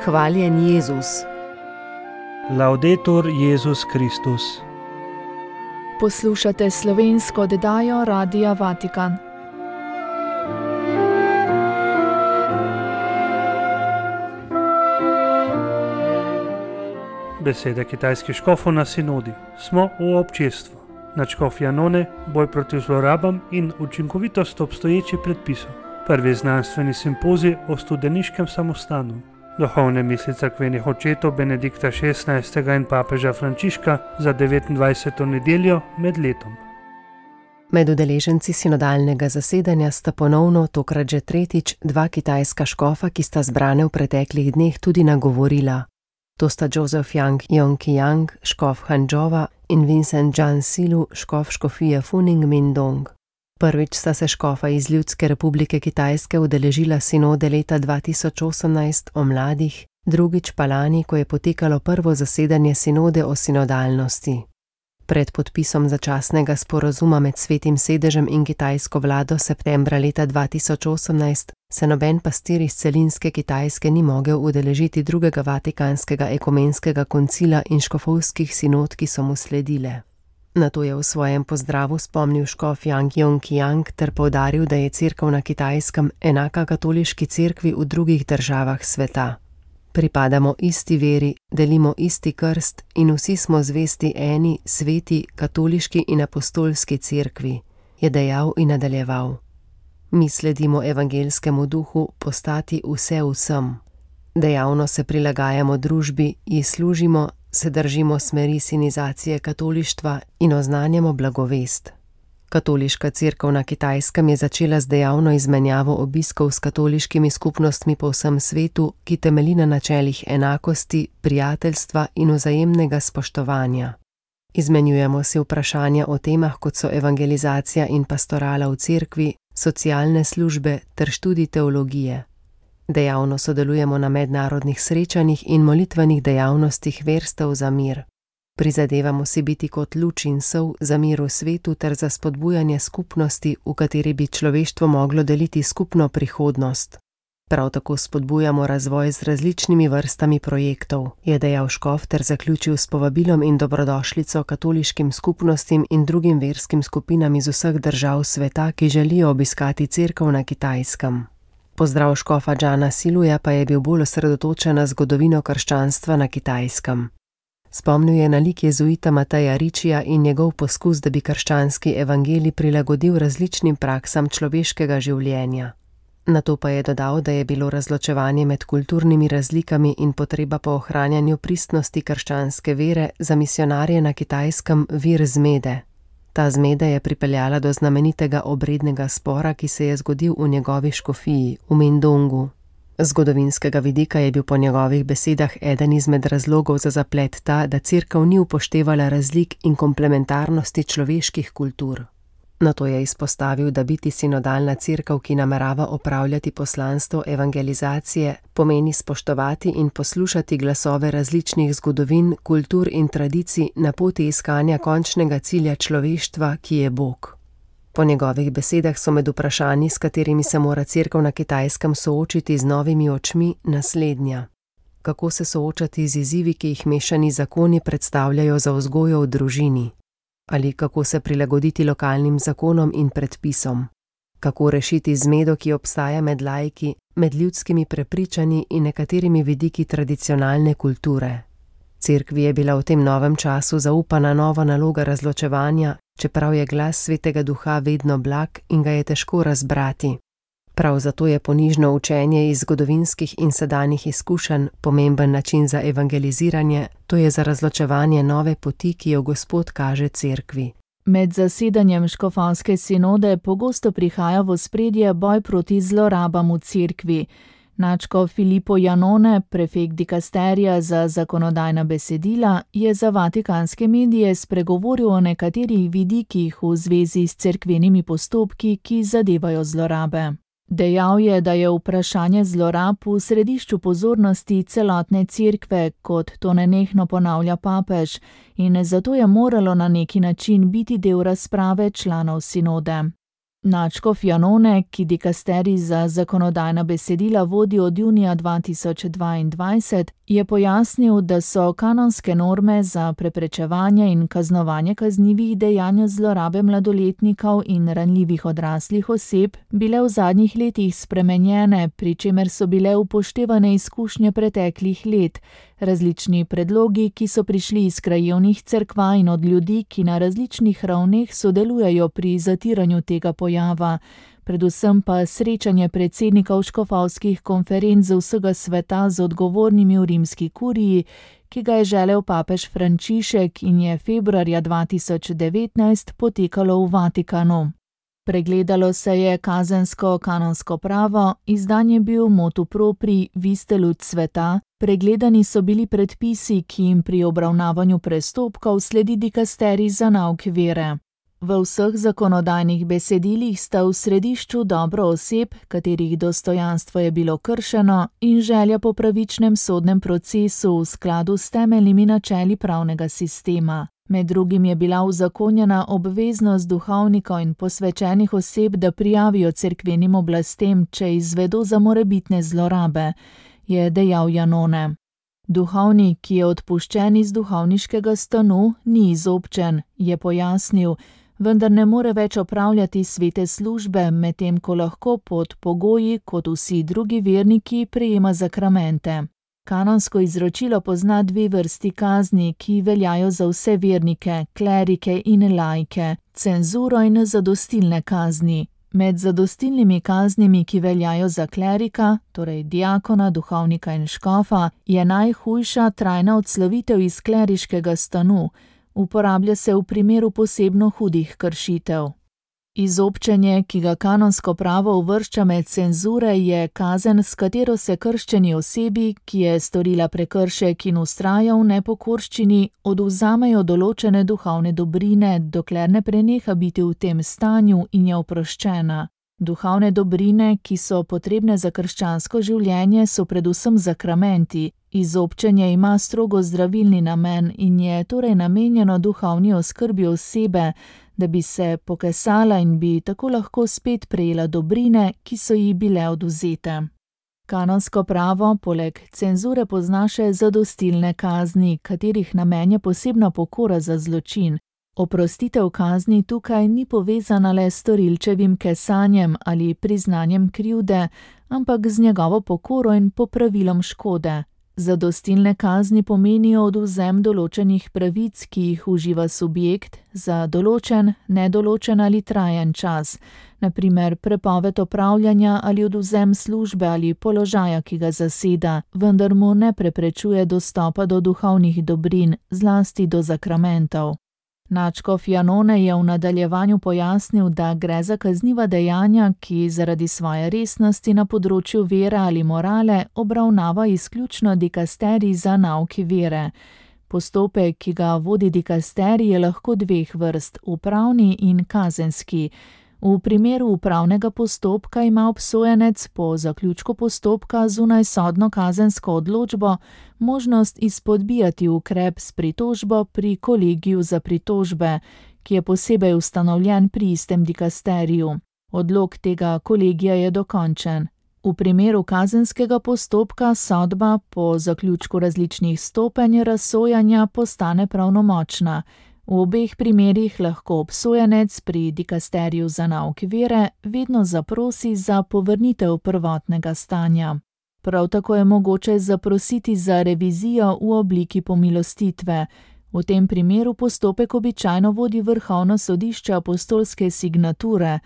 Hvaljen Jezus. Laudetur Jezus Kristus. Poslušate slovensko oddajo Radia Vatikan. Besede kitajskih škofov na sinodi. Smo v občestvu. Nadškof Janone, boj proti zlorabam in učinkovitost obstoječih predpisov. Prvi znanstveni simpozij o studeniškem samostanu. Duhovne misli cerkvenih očetov Benedikta XVI. In papeža Frančiška za 29. nedeljo med letom. Med udeleženci sinodalnega zasedanja sta ponovno, tokrat že tretjič, dva kitajska škofa, ki sta zbrane v preteklih dneh tudi nagovorila. To sta Joseph Yang Yongqiyang, škof Hangzhouva, in Vincent Zhan Silu, škof škofije Funing Mindong. Prvič sta se škofa iz Ljudske republike Kitajske udeležila sinode leta 2018 o mladih, drugič pa lani, ko je potekalo prvo zasedanje sinode o sinodalnosti. Pred podpisom začasnega sporazuma med Svetim sedežem in kitajsko vlado septembra leta 2018 se noben pastir iz celinske Kitajske ni mogel udeležiti drugega vatikanskega ekumenskega koncila in škofovskih sinod, ki so mu sledile. Nato je v svojem pozdravu spomnil škof Yang Yongqiyang ter poudaril, da je cerkev na Kitajskem enaka katoliški cerkvi v drugih državah sveta. Pripadamo isti veri, delimo isti krst in vsi smo zvesti eni, sveti, katoliški in apostolski cerkvi, je dejal in nadaljeval. Mi sledimo evangeljskemu duhu postati vse vsem. Dejavno se prilagajamo družbi, ji služimo, se držimo smeri sinizacije katolištva in oznanjamo blagovest. Katoliška cerkev na Kitajskem je začela z dejavno izmenjavo obiskov s katoliškimi skupnostmi po vsem svetu, ki temelji na načelih enakosti, prijateljstva in vzajemnega spoštovanja. Izmenjujemo si vprašanja o temah, kot so evangelizacija in pastorala v cerkvi, socialne službe ter študij teologije. Dejavno sodelujemo na mednarodnih srečanjih in molitvenih dejavnostih verstev za mir. Prizadevamo si biti kot luč in sol za mir v svetu ter za spodbujanje skupnosti, v kateri bi človeštvo moglo deliti skupno prihodnost. Prav tako spodbujamo razvoj z različnimi vrstami projektov, je dejal škof ter zaključil s povabilom in dobrodošlico katoliškim skupnostim in drugim verskim skupinam iz vseh držav sveta, ki želijo obiskati cerkev na Kitajskem. Pozdrav škofa Zhana Siluja pa je bil bolj osredotočen na zgodovino krščanstva na Kitajskem. Spomnil je na lik jezuita Mateja Ričija in njegov poskus, da bi krščanski evangelij prilagodil različnim praksam človeškega življenja. Nato pa je dodal, da je bilo razločevanje med kulturnimi razlikami in potreba po ohranjanju pristnosti krščanske vere za misionarje na Kitajskem vir zmede. Ta zmeda je pripeljala do znamenitega obrednega spora, ki se je zgodil v njegovi škofiji, v Mindongu. Z zgodovinskega vidika je bil po njegovih besedah eden izmed razlogov za zaplet ta, da cerkev ni upoštevala razlik in komplementarnosti človeških kultur. Nato je izpostavil, da biti sinodalna cerkev, ki namerava opravljati poslanstvo evangelizacije, pomeni spoštovati in poslušati glasove različnih zgodovin, kultur in tradicij na poti iskanja končnega cilja človeštva, ki je Bog. Po njegovih besedah so med vprašanji, s katerimi se mora cerkev na Kitajskem soočiti z novimi očmi, naslednja. Kako se soočati z izzivi, ki jih mešani zakoni predstavljajo za vzgojo v družini? Ali kako se prilagoditi lokalnim zakonom in predpisom? Kako rešiti zmedo, ki obstaja med laiki, med ljudskimi prepričanji in nekaterimi vidiki tradicionalne kulture? Cerkvi je bila v tem novem času zaupana nova naloga razločevanja, čeprav je glas Svetega Duha vedno blag in ga je težko razbrati. Prav zato je ponižno učenje iz zgodovinskih in sedanjih izkušenj pomemben način za evangeliziranje, to je za razločevanje nove poti, ki jo Gospod kaže cerkvi. Med zasedanjem škofovske sinode pogosto prihaja v ospredje boj proti zlorabam v cerkvi. Nadškof Filippo Janone, prefekt dikasterija za zakonodajna besedila, je za vatikanske medije spregovoril o nekaterih vidikih v zvezi s cerkvenimi postopki, ki zadevajo zlorabe. Dejal je, da je vprašanje zlorab v središču pozornosti celotne cerkve, kot to nenehno ponavlja papež, in zato je moralo na neki način biti del razprave članov sinode. Nadškof Janone, ki dikasterij za zakonodajna besedila vodi od junija 2022, je pojasnil, da so kanonske norme za preprečevanje in kaznovanje kaznivih dejanj zlorabe mladoletnikov in ranljivih odraslih oseb bile v zadnjih letih spremenjene, pri čemer so bile upoštevane izkušnje preteklih let, različni predlogi, ki so prišli iz krajevnih cerkva in od ljudi, ki na različnih ravneh sodelujejo pri zatiranju tega pojava, predvsem pa srečanje predsednikov škofovskih konferenc z vsega sveta z odgovornimi v rimski kuriji, ki ga je želel papež Frančišek in je februarja 2019 potekalo v Vatikanu. Pregledalo se je kazensko-kanonsko pravo, izdan je bil motu propri Viste lud sveta, pregledani so bili predpisi, ki jim pri obravnavanju prestopkov sledi dikasterij za nauk vere. V vseh zakonodajnih besedilih sta v središču dobro oseb, katerih dostojanstvo je bilo kršeno, in želja po pravičnem sodnem procesu v skladu s temeljnimi načeli pravnega sistema. Med drugim je bila uzakonjena obveznost duhovnikov in posvečenih oseb, da prijavijo cerkvenim oblastem, če izvedo za morebitne zlorabe, je dejal Janone. Duhovnik, ki je odpuščen iz duhovniškega stanu, ni izobčen, je pojasnil, vendar ne more več opravljati svete službe, medtem ko lahko pod pogoji, kot vsi drugi verniki, prejema zakramente. Kanonsko izročilo pozna dve vrsti kazni, ki veljajo za vse vernike, klerike in laike, cenzuro in zadostilne kazni. Med zadostilnimi kaznimi, ki veljajo za klerika, torej diakona, duhovnika in škofa, je najhujša trajna odslovitev iz kleriškega stanu. Uporablja se v primeru posebno hudih kršitev. Izobčenje, ki ga kanonsko pravo uvršča med cenzure, je kazen, s katero se krščeni osebi, ki je storila prekršek in vztraja v nepokorščini, odvzamejo določene duhovne dobrine, dokler ne preneha biti v tem stanju in je oproščena. Duhovne dobrine, ki so potrebne za krščansko življenje, so predvsem zakramenti. Izobčenje ima strogo zdravilni namen in je torej namenjeno duhovni oskrbi osebe, da bi se pokesala in bi tako lahko spet prejela dobrine, ki so ji bile odvzete. Kanonsko pravo poleg cenzure pozna še zadostilne kazni, katerih namen je posebna pokora za zločin. Oprostitev kazni tukaj ni povezana le s storilčevim kesanjem ali priznanjem krivde, ampak z njegovo pokoro in popravilom škode. Zadostilne kazni pomenijo odvzem določenih pravic, ki jih uživa subjekt, za določen, nedoločen ali trajen čas, na primer prepoved opravljanja ali odvzem službe ali položaja, ki ga zaseda, vendar mu ne preprečuje dostopa do duhovnih dobrin, zlasti do zakramentov. Nadškof Janone je v nadaljevanju pojasnil, da gre za kazniva dejanja, ki zaradi svoje resnosti na področju vere ali morale obravnava izključno dikasterij za nauk vere. Postopek, ki ga vodi dikasterij, je lahko dveh vrst, upravni in kazenski. V primeru upravnega postopka ima obsojenec po zaključku postopka zunaj sodno kazensko odločbo možnost izpodbijati ukrep s pritožbo pri kolegiju za pritožbe, ki je posebej ustanovljen pri istem dikasteriju. Odlok tega kolegija je dokončen. V primeru kazenskega postopka sodba po zaključku različnih stopenj razsojanja postane pravnomočna. V obeh primerih lahko obsojenec pri dikasteriju za nauk vere vedno zaprosi za povrnitev prvotnega stanja. Prav tako je mogoče zaprositi za revizijo v obliki pomilostitve. V tem primeru postopek običajno vodi Vrhovno sodišče apostolske signature,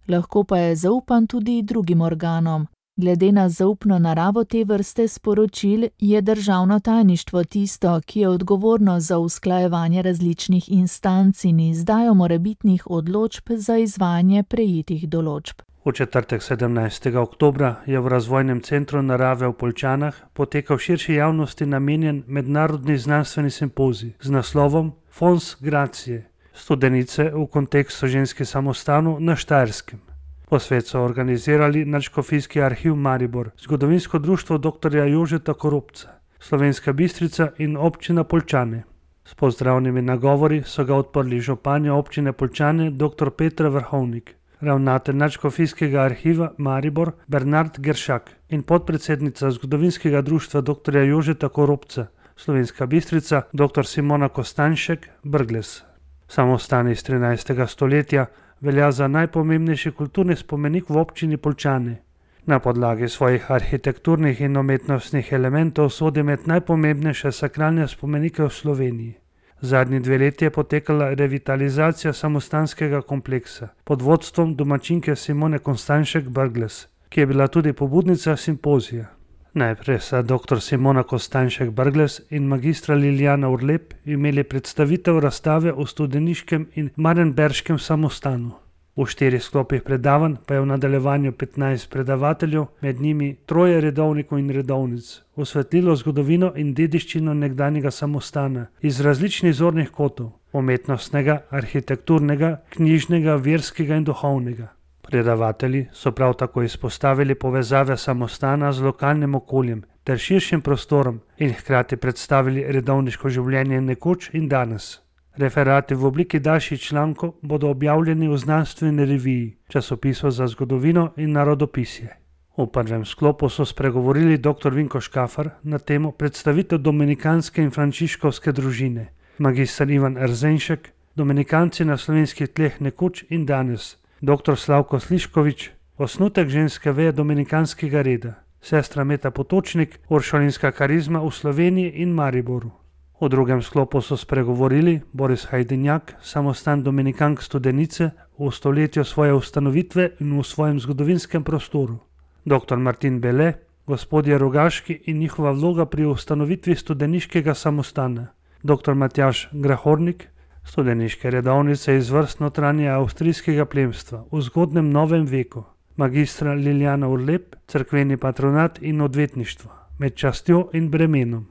lahko pa je zaupan tudi drugim organom. Glede na zaupno naravo te vrste sporočil je državno tajništvo tisto, ki je odgovorno za usklajevanje različnih instanc in izdajo morebitnih odločb za izvajanje prejetih določb. V četrtek 17. oktobra je v Razvojnem centru narave v Poljčanah potekal širši javnosti namenjen mednarodni znanstveni simpozij z naslovom Fons Gracie, studenice v kontekstu ženske samostanu na Štajerskem. Posvet so organizirali Nadškofijski arhiv Maribor, Zgodovinsko društvo dr. Jožeta Koropca, Slovenska Bistrica in občina Poljčane. S pozdravnimi nagovori so ga odprli županja občine Poljčane dr. Petra Vrhovnik. ravnatelj nadškofijskega arhiva Maribor Bernard Geršak in podpredsednica zgodovinskega društva dr. Jožeta Koropca, Slovenska Bistrica, dr. Simona Kostanjšek Brglez. Samostan iz 13. stoletja velja za najpomembnejši kulturni spomenik v občini Poljčane. Na podlagi svojih arhitekturnih in umetnostnih elementov sodi med najpomembnejše sakralne spomenike v Sloveniji. Zadnji 2 leti je potekala revitalizacija samostanskega kompleksa pod vodstvom domačinke Simone Kostanjšek Brglez, ki je bila tudi pobudnica simpozija. Najprej sta dr. Simona Kostanjšek Brglez in magistra Liljana Urlep imeli predstavitev razstave o studeniškem in marenberškem samostanu. V 4 sklopih predavanj pa je v nadaljevanju 15 predavateljev, med njimi 3 redovnikov in redovnic, osvetlilo zgodovino in dediščino nekdanjega samostana iz različnih zornih kotov: umetnostnega, arhitekturnega, knjižnega, verskega in duhovnega. Predavatelji so prav tako izpostavili povezave samostana z lokalnim okoljem ter širšim prostorom in hkrati predstavili redovniško življenje nekoč in danes. Referati v obliki daljših člankov bodo objavljeni v znanstveni reviji, časopisu za zgodovino in narodopisje. V prvem sklopu so spregovorili dr. Vinko Škafar na temo predstavitev dominikanske in frančiškovske družine, magister Ivan Erzenšek, dominikanci na slovenskih tleh nekoč in danes, dr. Slavko Sliškovič, osnutek ženske veje dominikanskega reda, sestra Meta Potočnik, uršulinska karizma v Sloveniji in Mariboru. V drugem sklopu so spregovorili Boris Hajdenjak, samostan dominikank Studenice v stoletju svoje ustanovitve in v svojem zgodovinskem prostoru, dr. Martin Bele, gospodje Rogaški in njihova vloga pri ustanovitvi studeniškega samostana, dr. Matjaž Grahornik, studeniške redovnice iz vrst notranje avstrijskega plemstva v zgodnem novem veku, magistra Liljana Urlep, cerkveni patronat in odvetništvo, med častjo in bremenom.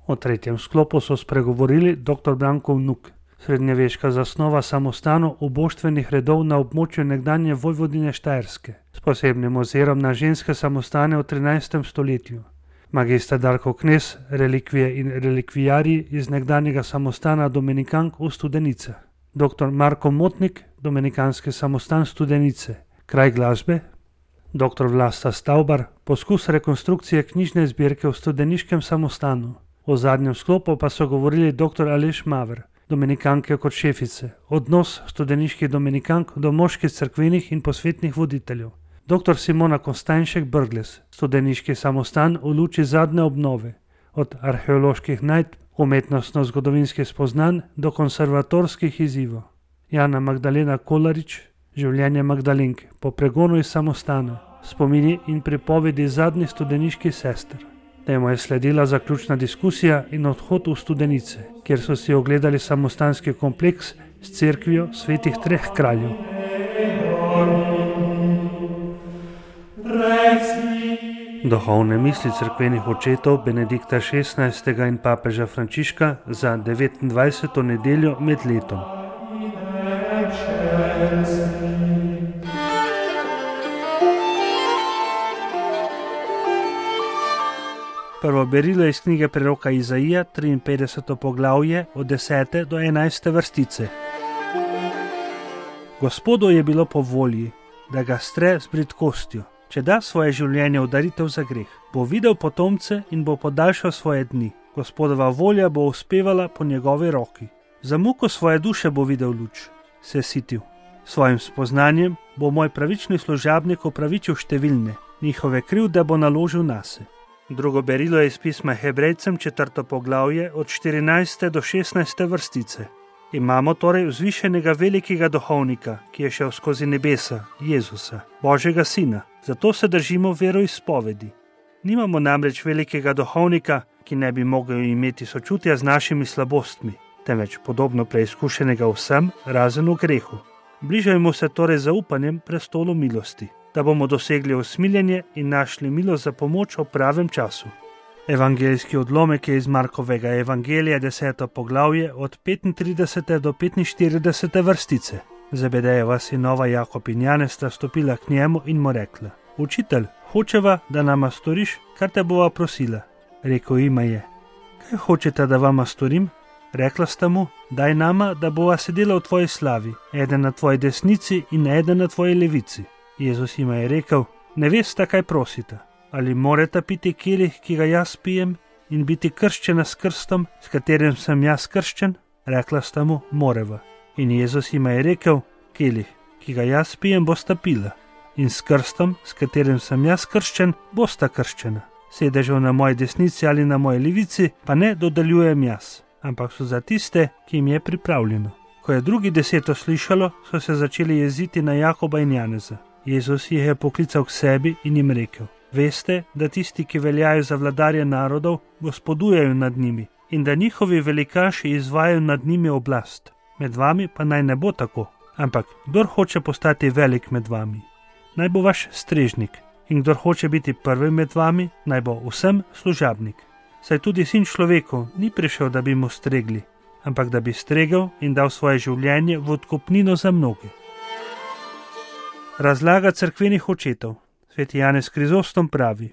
V tretjem sklopu so spregovorili dr. Branko Vnuk, srednjeveška zasnova samostanov oboštvenih redov na območju nekdanje Vojvodine Štajerske, s posebnim ozirom na ženske samostane v 13. stoletju. Magister Darko Knez, relikvije in relikvijarji iz nekdanjega samostana dominikank v Studenicah. Dr. Marko Motnik, dominikanski samostan Studenice, kraj glasbe. Dr. Vlasta Stavbar, poskus rekonstrukcije knjižne zbirke v studeniškem samostanu. V zadnjem sklopu pa so govorili dr. Aleš Maver, dominikanke kot šefice, odnos studeniških dominikank do moških cerkvenih in posvetnih voditeljev. Dr. Simona Kostanjšek Brglez, studeniški samostan v luči zadnje obnove, od arheoloških najdb, umetnostno-zgodovinskih spoznanj do konservatorskih izzivov. Jana Magdalena Kolarič, življenje Magdalenk po pregonu iz samostana, spomini in pripovedi zadnjih studeniških sester. Temu je sledila zaključna diskusija in odhod v Studenice, kjer so si ogledali samostanski kompleks s cerkvijo svetih 3 kraljev. Duhovne misli cerkvenih očetov Benedikta XVI. In papeža Frančiška za 29. nedeljo med letom. Prvo berilo iz knjige preroka Izaija, 53. poglavje, od 10. do 11. vrstice. Gospodu je bilo po volji, da ga stre z bridkostjo, če da svoje življenje v daritev za greh. Bo videl potomce in bo podaljšal svoje dni. Gospodova volja bo uspevala po njegovi roki. Za muko svoje duše bo videl luč, se sitil. Svojim spoznanjem bo moj pravični služabnik opravičil številne, njihove krivde bo naložil nase. Drugo berilo je iz pisma Hebrejcem, 4. poglavje, od 14. do 16. vrstice. Imamo torej vzvišenega velikega duhovnika, ki je šel skozi nebesa, Jezusa, Božjega Sina. Zato se držimo veroizpovedi. Nimamo namreč velikega duhovnika, ki ne bi mogel imeti sočutja z našimi slabostmi, temveč podobno preizkušenega vsem, razen v grehu. Bližajmo se torej zaupanjem prestolu milosti, da bomo dosegli usmiljenje in našli milost za pomoč v pravem času. Evangeljski odlomek je iz Markovega evangelija, 10. poglavje, od 35. do 45. vrstice. Zebedejeva sinova Jakob in Janez sta stopila k njemu in mu rekla: Učitelj, hočeva, da nama storiš, kar te bova prosila. Rekel jima je: Kaj hočete, da vama storim? Rekla sta mu: Daj nama, da bova sedela v tvoji slavi, eden na tvoji desnici in eden na tvoji levici. Jezus jima je rekel: Ne vesta, kaj prosita. Ali moreta piti kelih, ki ga jaz pijem, in biti krščena s krstom, s katerim sem jaz krščen? Rekla sta mu: Moreva. In Jezus jima je rekel: Kelih, ki ga jaz pijem, bosta pila, in s krstom, s katerim sem jaz krščen, bosta krščena. Sedežev na moji desnici ali na moji levici pa ne dodeljujem jaz, ampak so za tiste, ki jim je pripravljeno. Ko je drugi 10 slišalo, so se začeli jeziti na Jakoba in Janeza. Jezus jih je poklical k sebi in jim rekel: Veste, da tisti, ki veljajo za vladarje narodov, gospodujejo nad njimi in da njihovi velikaši izvajajo nad njimi oblast. Med vami pa naj ne bo tako, ampak kdor hoče postati velik med vami, naj bo vaš strežnik, in kdor hoče biti prvi med vami, naj bo vsem služabnik. Saj tudi Sin človekov ni prišel, da bi mu stregli, ampak da bi stregel in dal svoje življenje v odkupnino za mnoge. Razlaga cerkvenih očetov. Sveti Janez Krizostom pravi: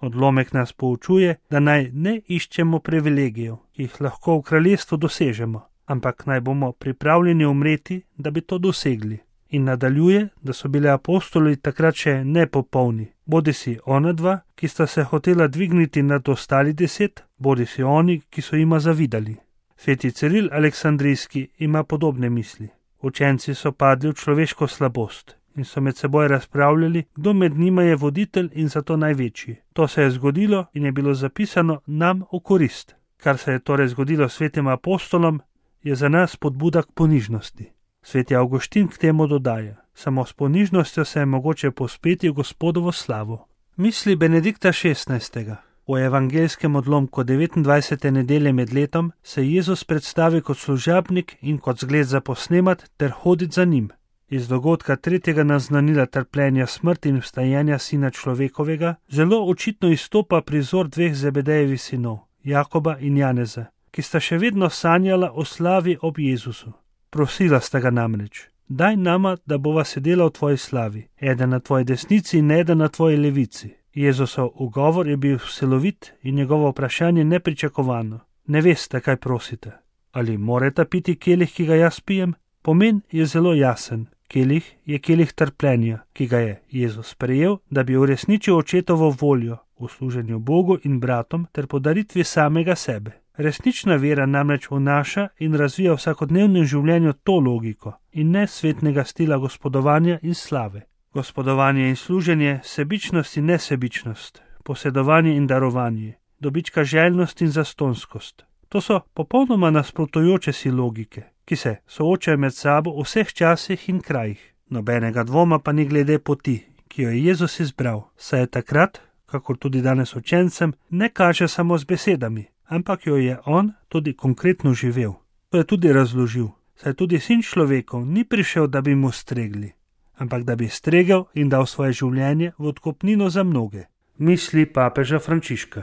Odlomek nas poučuje, da naj ne iščemo privilegijev, ki jih lahko v kraljestvu dosežemo, ampak naj bomo pripravljeni umreti, da bi to dosegli. In nadaljuje, da so bili apostoli takrat še nepopolni, bodisi ona dva, ki sta se hotela dvigniti nad ostali 10, bodisi oni, ki so jima zavidali. Sveti Ciril Aleksandrijski ima podobne misli. Učenci so padli v človeško slabost in so med seboj razpravljali, kdo med njima je voditelj in zato največji. To se je zgodilo in je bilo zapisano nam v korist. Kar se je torej zgodilo svetim apostolom, je za nas spodbuda k ponižnosti. Sveti Avguštin k temu dodaja: Samo s ponižnostjo se je mogoče povzpeti v Gospodovo slavo. Misli Benedikta XVI. V evangeljskem odlomku 29. nedelje med letom se Jezus predstavi kot služabnik in kot zgled za posnemat ter hoditi za njim. Iz dogodka 3. naznanila trpljenja, smrti in vstajenja Sina človekovega zelo očitno izstopa prizor 2 Zebedejevih sinov, Jakoba in Janeza, ki sta še vedno sanjala o slavi ob Jezusu. Prosila sta ga namreč: Daj nama, da bova sedela v tvoji slavi, eden na tvoji desnici in eden na tvoji levici. Jezusov ugovor je bil celovit in njegovo vprašanje nepričakovano: Ne veste, kaj prosite. Ali moreta piti kelih, ki ga jaz pijem? Pomen je zelo jasen. Kelih je kelih trpljenja, ki ga je Jezus sprejel, da bi uresničil očetovo voljo v služenju Bogu in bratom ter podaritvi samega sebe. Resnična vera namreč vnaša in razvija v vsakodnevnem življenju to logiko in ne svetnega stila gospodovanja in slave. Gospodovanje in služenje, sebičnost in nesebičnost, posedovanje in darovanje, dobička željnost in zastonskost. To so popolnoma nasprotujoče si logike, ki se soočajo med sabo v vseh časih in krajih. Nobenega dvoma pa ni glede poti, ki jo je Jezus izbral, saj je takrat, kakor tudi danes učencem, ne kaže samo z besedami, ampak jo je on tudi konkretno živel. To je tudi razložil, saj tudi Sin človekov ni prišel, da bi mu stregli, ampak da bi stregel in dal svoje življenje v odkupnino za mnoge. Misli papeža Frančiška.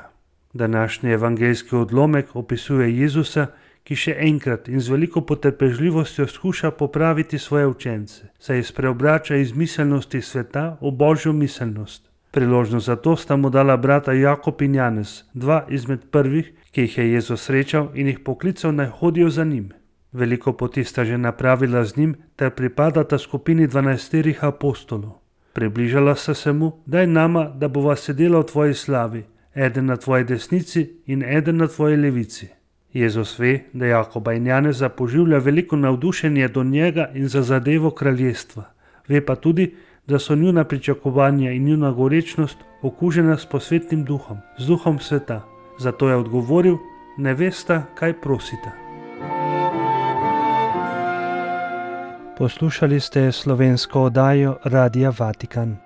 Današnji evangeljski odlomek opisuje Jezusa, ki še enkrat in z veliko potrpežljivostjo skuša popraviti svoje učence, saj jih spreobrača iz miselnosti sveta v božjo miselnost. Priložnost za to sta mu dala brata Jakob in Janez, 2 izmed prvih, ki jih je Jezus srečal in jih poklical, naj hodijo za njim. Veliko poti sta že napravila z njim ter pripadata skupini 12 apostolov. Približala sta se mu: Daj nama, da bova sedela v tvoji slavi, eden na tvoji desnici in eden na tvoji levici. Jezus ve, da Jakoba in Janeza poživlja veliko navdušenje do njega in za zadevo kraljestva. Ve pa tudi, da so njuna pričakovanja in njuna gorečnost okužena s posvetnim duhom, z duhom sveta. Zato je odgovoril: Ne vesta, kaj prosita. Poslušali ste slovensko oddajo Radia Vatikan.